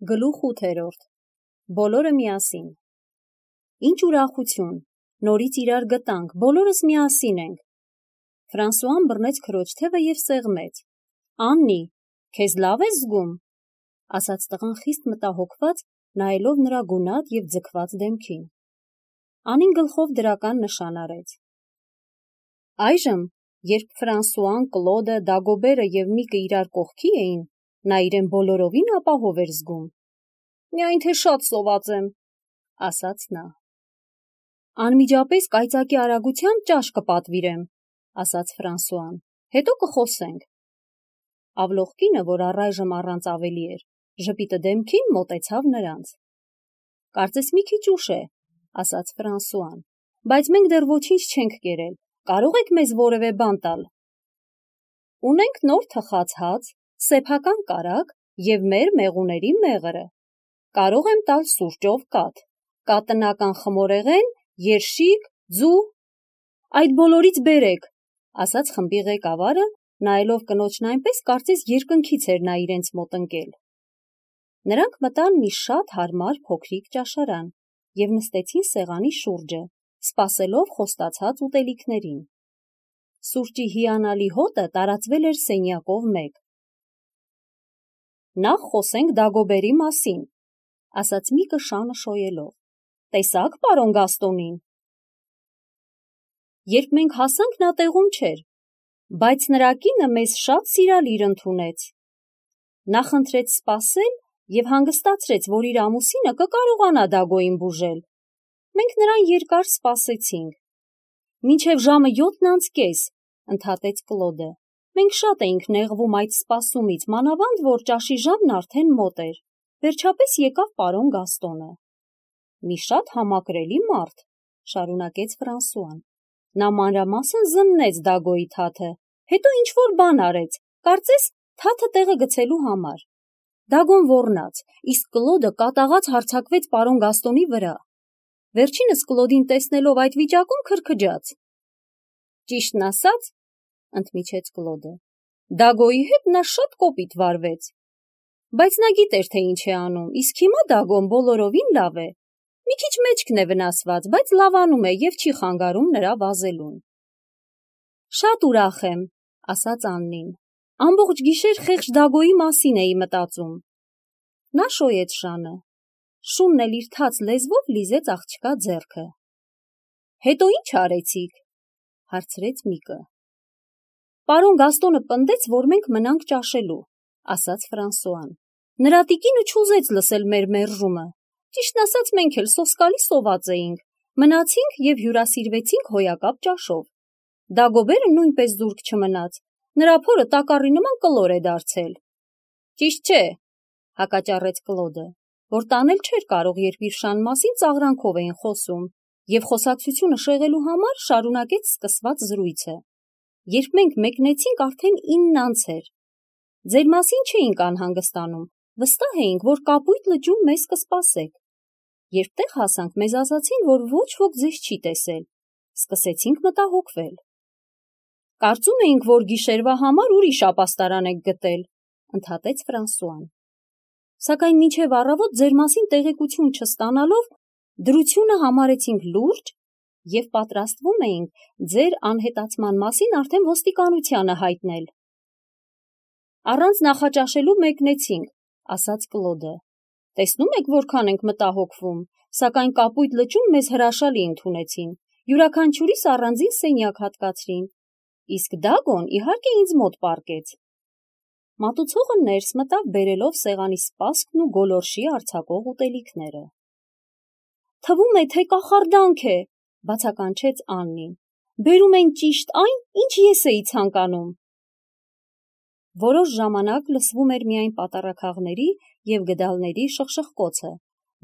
Գլուխ 8. Բոլորը միասին։ Ինչ ուրախություն, նորից իրար գտանք, բոլորս միասին ենք։ Ֆրանսուան բռնեց քրոջ թևը և սեղմեց։ Աննի, քեզ լավ ես զգում, ասաց տղան խիստ մտահոգված, նայելով նրա գունատ և ձգված դեմքին։ Անին գլխով դրական նշան արեց։ Այժմ, երբ Ֆրանսուան, Կլոդը, Դագոբերը և Միկը իրար կողքի էին, նա իրեն բոլորովին ապահով էր զգում։ Միայն թե շատ սոված եմ, ասաց նա։ Անմիջապես կայծակի արագությամբ ճաշ կպատվիրեմ, ասաց Ֆրանսուան, հետո կխոսենք։ Ավլոխկինը, որ առայժմ առանց ավելի էր, ժպիտը դեմքին մոտեցավ նրանց։ Կարծես մի քիչ ուշ է, ասաց Ֆրանսուան, բայց մենք դեռ ոչինչ չենք կերել, կարող եք մեզ որևէ բան տալ։ Ունենք նոր թխած հաց, սեփական կարագ և մեր մեղուների մեղրը։ Կարող եմ տալ սուրճով կաթ, կատնական խմորեղեն, երշիկ, ձու։ Այդ բոլորից բերեք, ասաց խմբի ղեկավարը, նայելով կնոջն այնպես, կարծես երկնքից էր նա իրենց մոտ ընկել։ Նրանք մտան մի շատ հարմար փոքրիկ ճաշարան և նստեցին սեղանի շուրջը, սպասելով խոստացած ուտելիքներին։ Սուրճի հիանալի հոտը տարածվել էր սենյակով մեկ։ Նախ խոսենք Դագոբերի մասին, ասաց Միկը շանը շոյելով։ Տեսա՞ք պարոն Գաստոնին։ Երբ մենք հասանք, նա տեղում չէր, բայց նրա կինը մեզ շատ սիրալիր ընդունեց։ Նա խնդրեց սպասել և հանգստացրեց, որ իր ամուսինը կկարողանա Դագոյին բուժել։ Մենք նրան երկար սպասեցինք։ Մինչև ժամը 7:30, ընդհատեց Կլոդը։ Մենք շատ էինք նեղվում այդ սպասումից, մանավանդ որ ճաշի ժամն արդեն մոտ էր։ Վերջապես եկավ պարոն Գաստոնը։ Մի շատ համակրելի մարդ, շարունակեց Ֆրանսուան։ Նա մանրամասն զննեց Դագոյի թաթը, հետո ինչ-որ բան արեց, կարծես թաթը տեղը գցելու համար։ Դագոն ոռնաց, իսկ Կլոդը կատաղած հարձակվեց պարոն Գաստոնի վրա։ Վերջինս Կլոդին տեսնելով այդ վիճակում քրքջաց։ Ճիշտն ասած, ընդմիջեց Կլոդը, Դագոյի հետ նա շատ կոպիտ վարվեց։ Բայց նա գիտեր, թե ինչ է անում, իսկ հիմա Դագոն բոլորովին լավ է։ Մի քիչ մեջքն է վնասված, բայց լավանում է և չի խանգարում նրա վազելուն։ Շատ ուրախ եմ, ասաց Աննին։ Ամբողջ գիշեր խեղճ Դագոյի մասին էի մտածում։ Նա շոյեց շանը։ Շունն էլ իր թաց լեզվով լիզեց աղջկա ձեռքը։ Հետո ինչ արեցիք, հարցրեց Միկը։ Պարոն Գաստոնը պնդեց, որ մենք մնանք ճաշելու, ասաց Ֆրանսուան։ Նրա տիկինը չուզեց լսել մեր մերժումը։ Ճիշտն ասած, մենք էլ սոսկալի սոված էինք, մնացինք և հյուրասիրվեցինք հոյակապ ճաշով։ Դագոբերը նույնպես զուրկ չմնաց, նրա փորը տակառի նման կլոր է դարձել։ Ճիշտ չէ, հակաճառեց Կլոդը, որ տանել չէր կարող, երբ իր շան մասին ծաղրանքով էին խոսում, և խոսակցությունը շեղելու համար շարունակեց սկսված զրույցը։ Երբ մենք մեկնեցինք, արդեն 9:00 էր։ Ձեր մասին չէինք անհանգստանում, վստահ էինք, որ կապույտ լճում մեզ կսպասեք։ Երբ տեղ հասանք, մեզ ասացին, որ ոչ ոք ձեզ չի տեսել։ Սկսեցինք մտահոգվել։ Կարծում էինք, որ գիշերվա համար ուրիշ ապաստարան եք գտել, ընդհատեց Ֆրանսուան։ Սակայն մինչև առավոտ ձեր մասին տեղեկություն չստանալով, դրությունը համարեցինք լուրջ և պատրաստվում էինք ձեր անհետացման մասին արդեն ոստիկանությանը հայտնել։ Առանց նախաճաշելու մեկնեցինք, ասաց Կլոդը։ Տեսնում եք, որքան ենք մտահոգվում, սակայն կապույտ լճում մեզ հրաշալի ընդունեցին, յուրաքանչյուրիս առանձին սենյակ հատկացրին, իսկ Դագոն իհարկե ինձ մոտ պառկեց։ Մատուցողը ներս մտավ բերելով սեղանի սպասքն ու գոլորշի արձակող ուտելիքները։ Թվում է, թե կախարդանք է, բացականչեց Աննին։ Բերում են ճիշտ այն, ինչ ես էի ցանկանում։ Որոշ ժամանակ լսվում էր միայն պատառաքաղների և գդալների շխշխկոցը,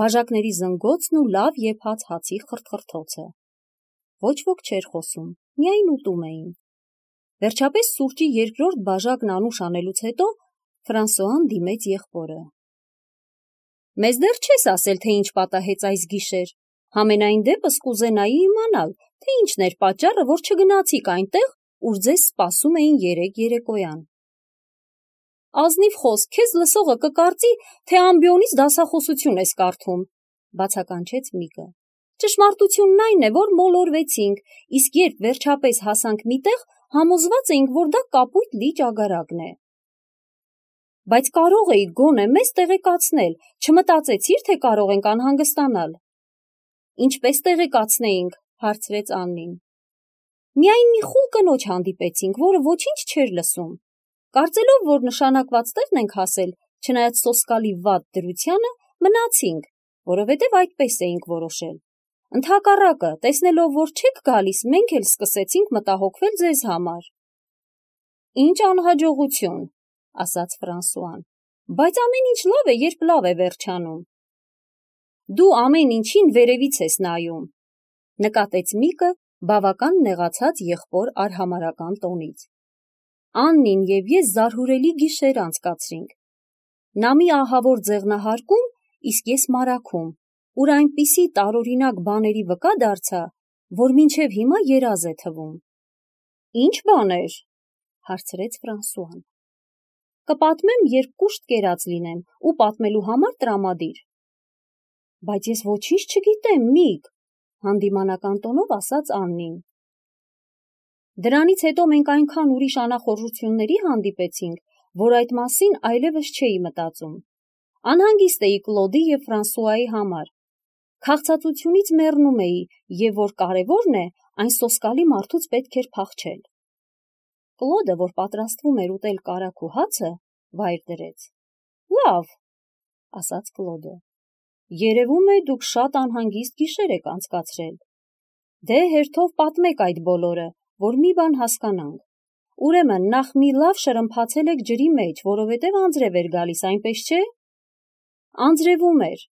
բաժակների զնգոցն ու լավ եփած հացի խրթխրթոցը։ Ոչ ոք չէր խոսում, միայն ուտում էին։ Վերջապես սուրճի երկրորդ բաժակն անուշ անելուց հետո Ֆրանսուան դիմեց եղբորը։ Մեզ դեռ չես ասել, թե ինչ պատահեց այս գիշեր։ Համենայն դեպս կուզենայի իմանալ, թե ինչն էր պատճառը, որ չգնացիք այնտեղ, ուր ձեզ սպասում էին երեկ երեկոյան։ Ազնիվ խոսք, քեզ լսողը կկարծի, թե ամբիոնից դասախոսություն ես կարդում, բացականչեց Միկը։ Ճշմարտությունն այն է, որ մոլորվեցինք, իսկ երբ վերջապես հասանք մի տեղ, համոզված էինք, որ դա կապույտ լիճ ագարակն է։ Բայց կարող էի գոնե մեզ տեղեկացնել, չմտածեցիր, թե կարող ենք անհանգստանալ։ Ինչպես տեղեկացնեինք, հարցրեց Աննին։ Միայն մի խուլ կնոջ հանդիպեցինք, որը ոչինչ չէր լսում։ Կարծելով, որ նշանակված տեղն ենք հասել, չնայած սոսկալի վատ դրությանը, մնացինք, որովհետև այդպես էինք որոշել։ Ընդհակառակը, տեսնելով, որ չեք գալիս, մենք էլ սկսեցինք մտահոգվել ձեզ համար։ Ինչ անհաջողություն, ասաց Ֆրանսուան, բայց ամեն ինչ լավ է, երբ լավ է վերջանում։ Դու ամեն ինչին վերևից ես նայում, նկատեց Միկը բավական նեղացած եղբոր արհամարհական տոնից։ Աննին եւ ես զարհուրելի գիշեր անցկացրինք։ Նա մի ահավոր ձեղնահարկում, իսկ ես մարաքում, ուր այնպիսի տարօրինակ բաների վկա դարձա, որ մինչև հիմա երազ է թվում։ Ինչ բաներ, հարցրեց Ֆրանսուան։ Կպատմեմ, երբ կուշտ կերած լինեմ ու պատմելու համար տրամադիր։ Բայց ես ոչինչ չգիտեմ, Միք, հանդիմանական տոնով ասաց Աննին։ Դրանից հետո մենք այնքան ուրիշ անախորժությունների հանդիպեցինք, որ այդ մասին այլևս չէի մտածում։ Անհանգիստ էի Կլոդի և Ֆրանսուայի համար։ Քաղցածությունից մեռնում էի, և որ կարևորն է, այն սոսկալի մարդուց պետք էր փախչել։ Կլոդը, որ պատրաստվում էր ուտել կարագ ու հացը, վայր դրեց։ Լավ, ասաց Կլոդը։ Երևում է, դուք շատ անհանգիստ գիշեր եք անցկացրել։ Դե հերթով պատմեք այդ բոլորը, որ մի բան հասկանանք։ Ուրեմն նախ մի լավ շրմփացել եք ջրի մեջ, որովհետև անձրև էր գալիս, այնպես չէ։ Անձրևում էր,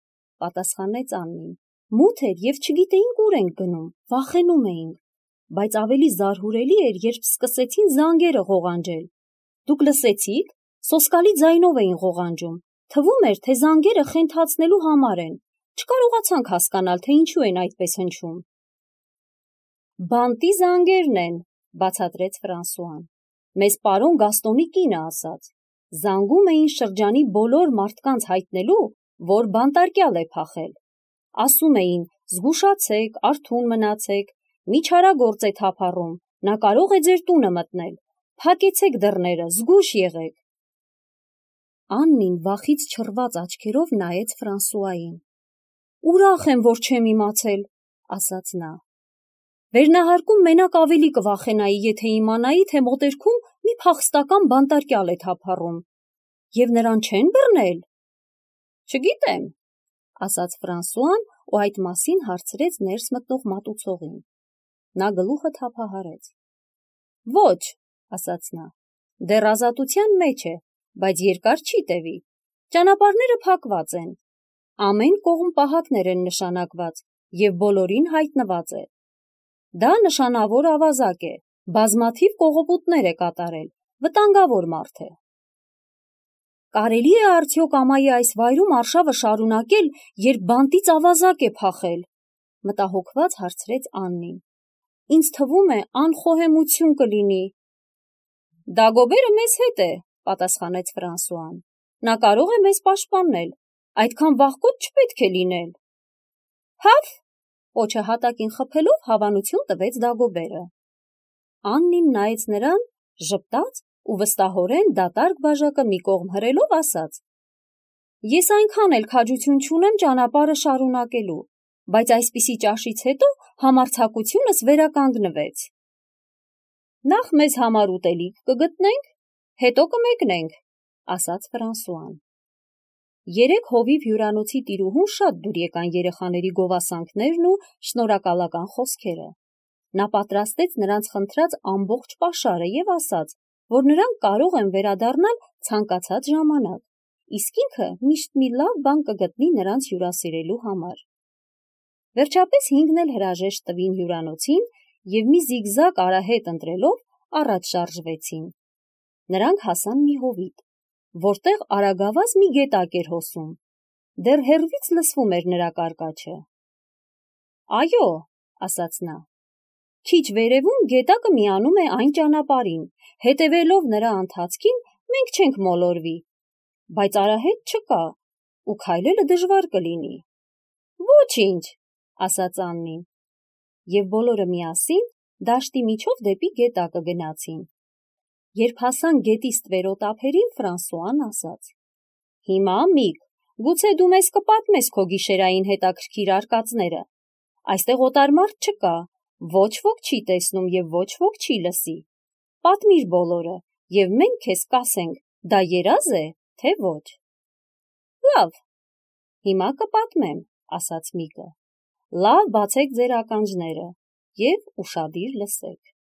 պատասխանեց Աննին։ Մութ էր և չգիտեինք ուր ենք գնում, վախենում էինք, բայց ավելի զարհուրելի էր, երբ սկսեցին զանգերը ղողանջել։ Դուք լսեցի՞ք, սոսկալի ձայնով էին ղողանջում, թվում էր, թե զանգերը խենթացնելու համար են, չկարողացանք հասկանալ, թե ինչու են այդպես հնչում։ Բանտի զանգերն են, բացատրեց Ֆրանսուան։ Մեզ պարոն Գաստոնի կինը ասաց։ Զանգում էին շրջանի բոլոր մարդկանց հայտնելու, որ բանտարկյալ է փախել։ Ասում էին. զգուշացեք, արթուն մնացեք, մի չարագործ է թափառում, նա կարող է ձեր տունը մտնել, փակեցեք դռները, զգույշ եղեք։ Աննին վախից չռված աչքերով նայեց Ֆրանսուային։ Ուրախ եմ, որ չեմ իմացել, ասաց նա։ Վերնահարկում մենակ ավելի կվախենայի, եթե իմանայի, թե մոտերքում մի փախստական բանտարկյալ է թափառում։ Եվ նրան չեն բռնել։ Չգիտեմ, ասաց Ֆրանսուան ու այդ մասին հարցրեց ներս մտնող մատուցողին։ Նա գլուխը թափահարեց։ Ոչ, ասաց նա, դեռ ազատության մեջ է, բայց երկար չի տևի։ Ճանապարհները փակված են։ Ամեն կողմ պահակներ են նշանակված և բոլորին հայտնված է։ Դա նշանավոր ավազակ է, բազմաթիվ կողոպուտներ է կատարել, վտանգավոր մարդ է։ Կարելի է արդյոք ամայի այս վայրում արշավը շարունակել, երբ բանտից ավազակ է փախել, մտահոգված հարցրեց Աննին։ Ինձ թվում է, անխոհեմություն կլինի։ Դագոբերը մեզ հետ է, պատասխանեց Ֆրանսուան։ Նա կարող է մեզ պաշտպանել, այդքան վախկոտ չպետք է լինել։ Հավ, պոչը հատակին խփելով հավանություն տվեց Դագոբերը։ Աննին նայեց նրան, ժպտաց ու վստահորեն դատարկ բաժակը մի կողմ հրելով ասաց. Ես այնքան էլ քաջություն չունեմ ճանապարհը շարունակելու, բայց այսպիսի ճաշից հետո համարձակությունս վերականգնվեց։ Նախ մեզ համար ուտելիք կգտնենք, հետո կմեկնենք, ասաց Ֆրանսուան։ Երեք հովիվ հյուրանոցի տիրուհուն շատ դուր եկան երեխաների գովասանքներն ու շնորհակալական խոսքերը։ Նա պատրաստեց նրանց խնդրած ամբողջ պաշարը և ասաց, որ նրանք կարող են վերադառնալ ցանկացած ժամանակ, իսկ ինքը միշտ մի լավ բան կգտնի նրանց հյուրասիրելու համար։ Վերջապես հինգն էլ հրաժեշտ տվին հյուրանոցին և մի զիգզագ արահետ ընտրելով առաջ շարժվեցին։ Նրանք հասան մի հովիտ, որտեղ արագավազ մի գետակ էր հոսում։ Դեռ հեռվից լսվում էր նրա կարկաչը։ Այո, ասաց նա։ Քիչ վերևում գետակը միանում է այն ճանապարհին, հետևելով նրա ընթացքին մենք չենք մոլորվի, բայց արահետ չկա, ու քայլելը դժվար կլինի։ Ոչինչ, ասաց Աննին, և բոլորը միասին դաշտի միջով դեպի գետակը գնացին։ Երբ հասան գետի ստվերոտ ափերին, Ֆրանսուան ասաց. «Հիմա, Միկ, գուցե դու մեզ կպատմես քո գիշերային հետաքրքիր արկածները։ Այստեղ օտար մարդ չկա, ոչ ոք չի տեսնում և ոչ ոք չի լսի։ Պատմիր բոլորը, և մենք քեզ կասենք, դա երազ է, թե ոչ»։ Լավ, հիմա կպատմեմ, ասաց Միկը։ Լավ բացեք ձեր ականջները և ուշադիր լսեք։